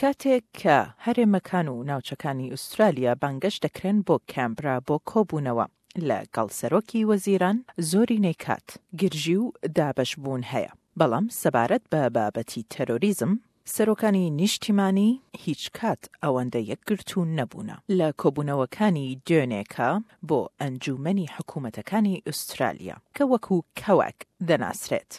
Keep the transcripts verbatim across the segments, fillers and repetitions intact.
کاتێک کە هەرێمەکان و ناوچەکانی ئوسترالیا بانگهێشت دەکرێن بۆ کانبرا بۆ کۆبوونەوە لەگەڵ سەرۆکی وەزیران، زۆرینەی کات گرژی و دابەشبوون هەیە. بەڵام سەبارەت بە بابەتی تەرۆریزم، سەرۆکانی نیشتیمانی هیچ کات ئەوەندە یەکگرتوو نەبوونە. لە کۆبوونەوەکانی دوێنێکە بۆ ئەنجومەنی حکوومەتەکانی ئوسترالیا کە وەکو COAG دەناسرێت،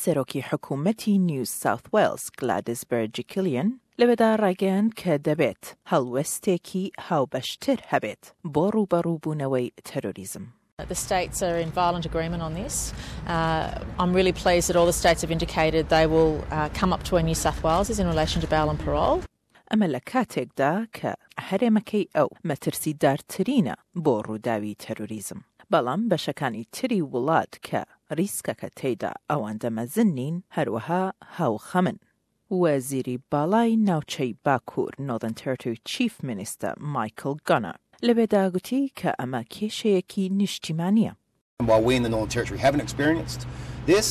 سەرۆکی حکوومەتی نیو ساوت وێلز گلادیس بەرجیکلیان لەوێدا ڕایگەیاند کە دەبێت هەڵوێستێکی هاوبەشتر هەبێت بۆ ڕووبەڕووبوونەوەی تەرۆریزم. The states are in violent agreement on this. Uh, I'm really pleased that all the states have indicated they will uh, come up to where New South Wales is in relation to bail and parole. ئەمە لە کاتێکدا کە هەرێمەکەی ئەو مەترسیدارترینە بۆ ڕووداوی تەرۆریزم. بەڵام بەشەکانی تری وڵات کە ریسکەکە تێیدا ئەوەندە مەزن نین، هەروەها هاوخەمن. وەزیری باڵای ناوچەی باکوور Northern Territory Chief Minister مایکل گانەر لەوێدا گوتی کە ئەمە کێشەیەکی نیشتیمانیە. While we in the Northern Territory haven't experienced this,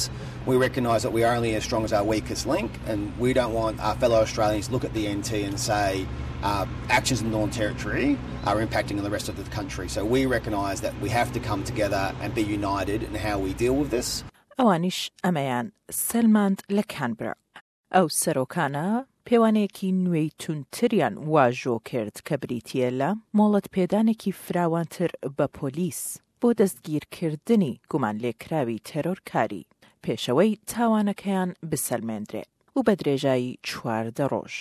we recognise that we are only as strong as our weakest link, and we don't want our fellow Australians to look at the N T and say uh, actions in the Northern Territory are impacting on the rest of the country. So we recognise that we have to come together and be united in how we deal with this. ئەوانیش ئەمەیان سەلماند لە کانبرا. ئەو سەرۆکانە پێوانەیەکی نوێی توندتریان واژۆ کرد کە بریتییە لە مۆڵەت پێدانێکی فراوانتر بە پۆلیس بۆ دەستگیرکردنی گومانلێکراوی تێرۆرکاری پێش ئەوەی تاوانەکەیان بسەلمێندرێ و بە درێژایی چواردە ڕۆژ.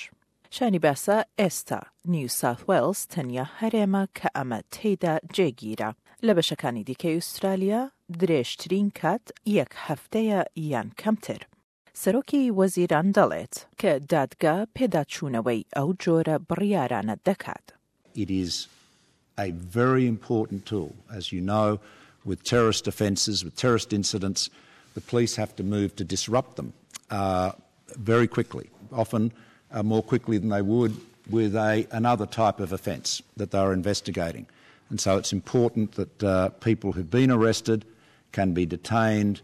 شایانی باسە ئێستا نیو ساوت وێلز تەنیا هەرێمە کە ئەمە تێیدا جێگیرە. لە بەشەکانی دیکەی ئوسترالیا درێژترین کات یەک هەفتەیە یان کەمتر. سەرۆکی وەزیران دەڵێت کە دادگا پێداچوونەوەی ئەو جۆرە بڕیارانە دەکات. It is a very important tool. As you know, with terrorist offences, with terrorist incidents, the police have to move to disrupt them uh, very quickly, often uh, more quickly than they would with a, another type of offence that they are investigating. And so it's important that uh, people who've been arrested can be detained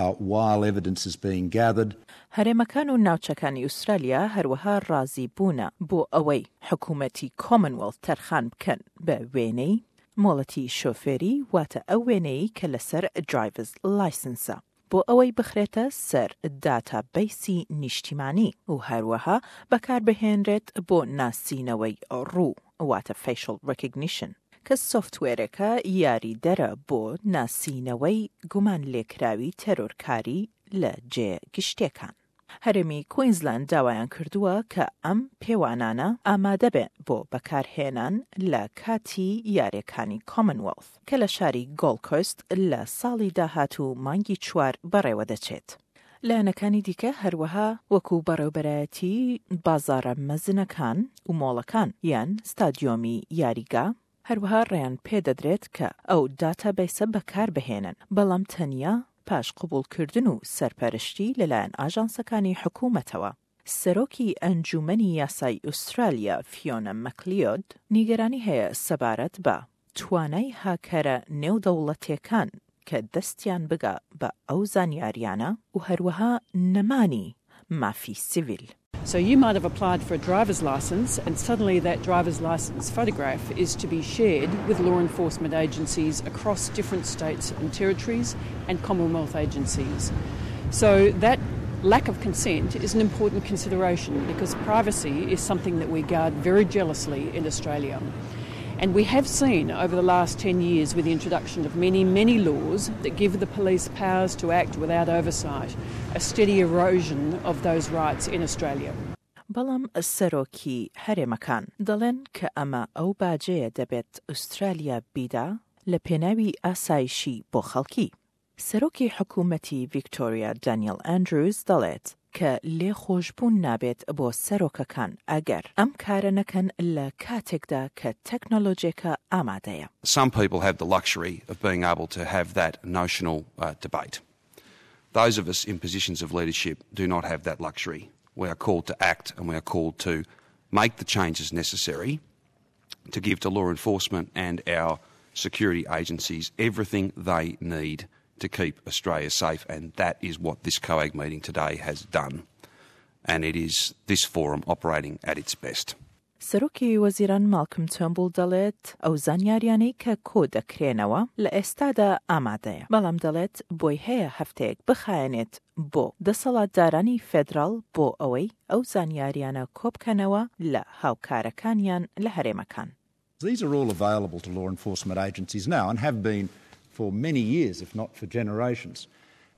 uh, while evidence is being gathered. هەرێمەکان و ناوچەکانی ئوسترالیا هەروەها ڕازی بوونە بۆ ئەوەی حکوومەتی کۆمنوێڵث تەرخان بکەن بە وێنەی مۆڵەتی شۆفێری، واتە ئەو وێنەی کە لەسەر driver's license ە، بۆ ئەوەی بخرێتە سەر database ی نیشتیمانی و هەروەها بەکاربهێنرێت بۆ ناسینەوەی ڕوو، واتە facial recognition، کە سۆفتوێرەکە یاریدەرە بۆ ناسینەوەی گومان لێکراوی تەرۆرکاری لە جێ گشتیەکان. هەرێمی کوینزلاند داوایان کردووە کە ئەم پێوانانە ئامادە بێن بۆ بەکارهێنان لە کاتی یاریەکانی کۆمنوێڵث کە لە شاری گۆڵد کۆست لە ساڵی داهاتوو مانگی چوار بەڕێوە دەچێت. لایەنەکانی دیکە هەروەها وەکو بەڕێوبەرایەتی بازارە مەزنەکان و مۆڵەکان یان ستادیۆمی یاریگا هەروەها ڕێیان پێدەدرێت کە ئەو database ە بەکاربهێنن، بەڵام تەنیا پاش قبوڵکردن و سەرپەرشتی لەلایەن ئاژانسەکانی حکوومەتەوە. سەرۆکی ئەنجومەنی یاسای ئوسترالیا فیۆنا مەکلیۆد نیگەرانی هەیە سەبارەت بە توانای هاکەرە نێودەوڵەتیەکان کە دەستیان بگا بە ئەو زانیاریانە و هەروەها نەمانی مافی سیڤیل. So you might have applied for a driver's license, and suddenly that driver's license photograph is to be shared with law enforcement agencies across different states and territories and Commonwealth agencies. So that lack of consent is an important consideration because privacy is something that we guard very jealously in Australia. And we have seen over the last ten years, with the introduction of many, many laws that give the police powers to act without oversight, a steady erosion of those rights in Australia. بەڵام سەرۆکی هەرێمەکان دەڵێن کە ئەمە ئەو باجەیە دەبێت ئوسترالیا بیدا لە پێناوی ئاسایشی بۆ خەڵکی. سەرۆکی حکوومەتی ڤیکتۆریا دانیل ئەندروز دەڵێت کە لێخۆشبوون نابێت بۆ سەرۆکەکان ئەگەر ئەم کارە نەکەن لە کاتێکدا کە تەکنۆلۆژیەکە ئامادەیە. Some people have the luxury of being able to have that notional uh, debate. Those of us in positions of leadership do not have that luxury. We are called to act and we are called to make the changes necessary to give to law enforcement and our security agencies everything they need to keep Australia safe, and that is what this COAG meeting today has done. and it is this forum operating at its best. سەرۆکی وەزیران ماڵکم تۆرنبوڵ دەڵێت ئەو زانیاریانەی کە کۆ دەکرێنەوە لە ئێستادا ئامادەیە، بەڵام دەڵێت بۆی هەیە هەفتەیەک بخایەنێت بۆ دەسەڵاتدارانی فێدراڵ بۆ ئەوەی ئەو زانیاریانە کۆبکەنەوە لە هاوکارەکانیان لە هەرێمەکان. These are all available to law enforcement agencies now and have been for many years, if not for generations.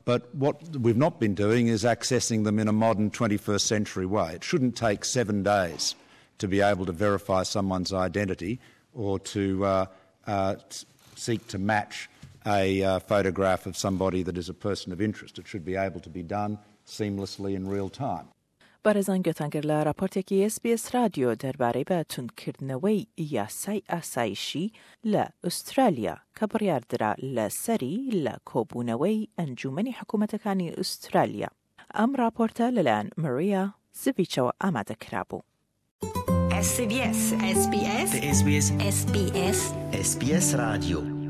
But what we've not been doing is accessing them in a modern twenty-first century way. It shouldn't take seven days to be able to verify someone's identity or to, uh, uh, seek to match a, uh, photograph of somebody that is a person of interest. It should be able to be done seamlessly in real time. بەڕێزان گوێتان گرت لە راپۆرتێکی ئێس بی ئێس رادیۆ دەربارەی بە توندکردنەوەی یاسای ئاسایشی لە ئوسترالیا کە بڕیاردرا لەسەری لە کۆبوونەوەی ئەنجومەنی حکوومەتەکانی ئوسترالیا. ئەم راپۆرتە لەلایەن ماریا زڤیچەوە ئامادە کرابوو. S B S S B S S B S S B S S B S Radio.